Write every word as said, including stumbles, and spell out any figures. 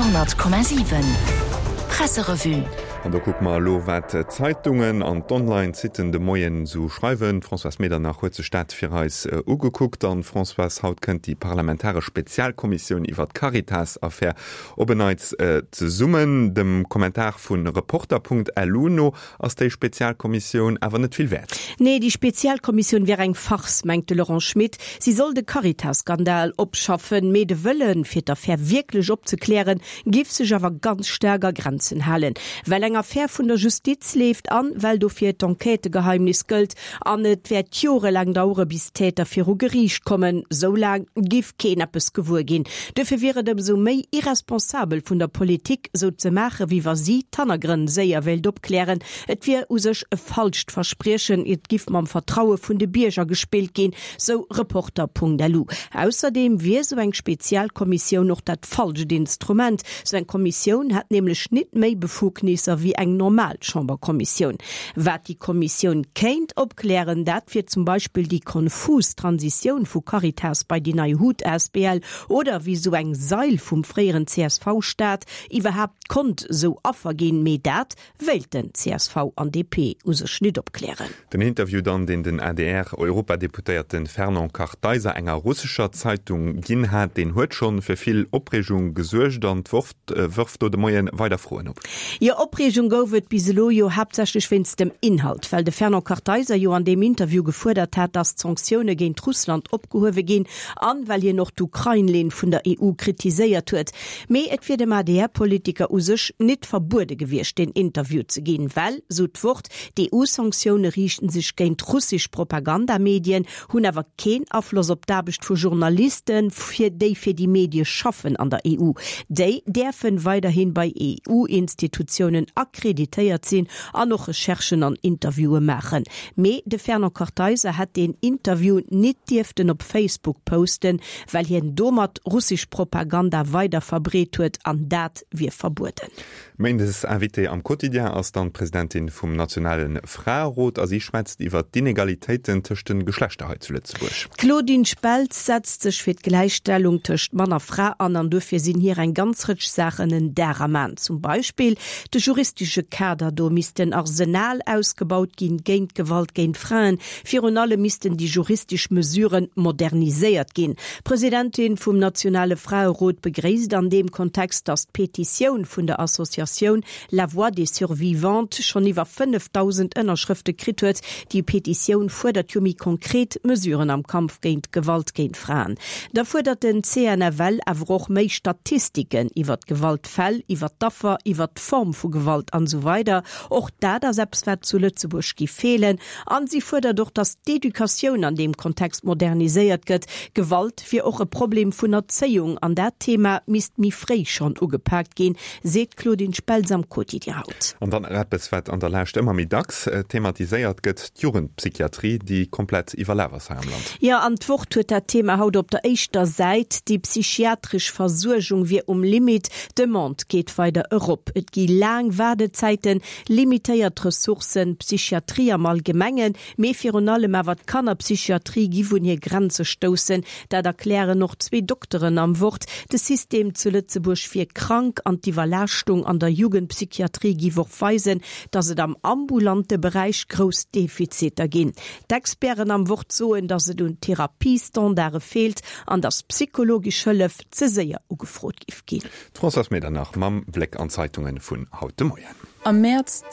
Radio honnert Komma siwen Presserevue. An do kucke mer elo, wat d'Zeitungen an d'Online-Siten de Moien esou schreiwen. D'Françoise Medernach huet sech dat fir eis ugekuckt. An Françoise, haut kënnt déi parlamentaresch Spezialkommissioun iwwer d'Caritas-Affär op en Neits zesummen. Dem Kommentar vu Reporter.lu no ass déi Spezialkommissioun awer net vill wäert. Nee, déi Spezialkommissioun wier eng Farce, mengt de Laurent Schmit. Si soll de Caritas-Skandal opschaffen, mee de Wëllen, fir d'Affär wierklech opzeklären, giff sech awer ganz staark a Grenzen halen. Well eng Affär vun der Justiz leeft an well dofir d'Enquêtëgeheimnis gëllt an et wäert jorelaang dauere bis d'Täter viru Geriicht kommen, sou laang giff keen eppes gewuer ginn. Dofir wier et ëmsou méi irresponsabel vun der Politik, sou ze maache wéi wa si d'Hannergrënn séier wéilt opklären. Et wier u sech e falscht Verspriechen, et giff mam Vertraue vun de Bierger gespillt ginn, sou Reporter.lu. Ausserdeem wier sou eng Spezialkommissioun och dat falscht Instrument. Sou eng Kommissioun hätt nämlech nit méi Befugnisser wéi eng normal Chamberkommissioun. Wat déi Kommissioun kéint opklären, dat wier zum Beispill déi konfus Transitioun vu Caritas bei déi nei Hut asbl oder wéi sou eng Sail vum fréieren C S V-Staat iwwerhaapt konnt sou Affer ginn, mee dat wéilten C S V an D P u sech nit opklären. Den Interview dann, deen den A D R-Europadeputéierte Fernand Kartheiser enger russescher Zeitung ginn hat, deen huet schonn fir vill Opreegung gesuergt an d'Wort wërft do de Moien weider Froen op. Jo, Opreegung gouf et bis elo jo haaptsächlech wéinst dem Inhalt, well de Fernand Kartheiser jo an deem Interview gefuerdert hat, datt d'Sanktioune géint Russland opgehuewe ginn an well hien och d'Ukrain-Linn vun der E U kritiséiert huet. Mee et wier dem A D R-Politiker u sech nit verbuede gewiescht, den Interview ze ginn, well, sou d'Wort, d'E U-Sanktioune riichten sech géint russesch Propagandamedien, hunn awer keen Afloss op d'Aarbecht vu Journalisten, fir déi fir déi Medie schaffen an der E U. Déi däerfen weiderhin bei E U-Institutiounen akkreditéiert sinn an och Recherchen an Interviewe maachen. Mee de Fernand Kartheiser hätt den Interview nit dierften op Facebook posten, well hien domat russesch Propaganda weider verbreet huet an dat wier verbueden. Méindes Invité am Quotidien ass dann d'Presidentin vum Nationalen Fraerot a si schwätzt iwwer d'Inegalitéiten tëscht de Geschlechter hei zu Lëtzebuerg. D'Claudine Speltz setzt sech fir d'Gläichstellung tëscht Mann a Fra an an dofir sinn hir eng ganz Rëtsch Saachen en Dar am An. Zum Beispill de juristesche Kader, do misst den Arsenal ausgebaut ginn géint Gewalt géint Fraen. Virun allem missten déi juristesch Mesuren moderniséiert ginn. D'Presidentin vum Nationale Fraerot begréisst an deem Kontext, datt d'Petitioun vun der Associatioun La Voix des Survivantes schonn iwwer fënnefdausend Ënnerschrëfte kritt huet. Déi Petitioun fuerdert jo méi konkret Mesuren am Kampf géint Gewalt géint Fraen. Da fuerdert den C N F L awer och méi Statistiken iwwer d'Gewaltfäll, iwwer d'Affer, iwwer d'Form vu Gewalt an esou weider. Och dat ass eppes, wat zu Lëtzebuerg gi feelen. An si fuerdert och, datt d'Educatioun an deem Kontext moderniséiert gëtt. Gewalt wier och e Problem vun Erzéiung an dat Thema misst méi fréi schonn ugepaakt ginn, seet Claudine Speltz am Quotidien haut. An dann nach eppes, wat an der Lescht ëmmer méi dacks thematiséiert gëtt, d'Jugendpsychiatrie, déi komplett iwwerlaf ass hei am Land. Jo, an d'Wort huet dat Thema haut op der éischter Säit. Déi psychiatresch Versuergung wier um Limit. D'Demande geet weider erop. Et gi laang Waardezäiten, limitéiert Ressourcen, d'Psychiatrie am Allgemengen, mee virun allem awer d'Kannerpsychiatrie gi vun hir Grenze stoussen. Dat erklären och zwee Dokteren am Wort. De System zu Lëtzebuerg wier krank an d'Iwwerlaaschtung an der Jugendpsychiatrie giff och weisen, datt et am ambulante Beräich grouss Defiziter ginn. D'Experten am Wort soen, datt et un Therapiestandarde feelt an datt psychologesch Hëllef ze séier ugefrot giff ginn. D'Françoise Medernach mam Bléck an d'Zeitungen vun haut de Moien. Am Mäerz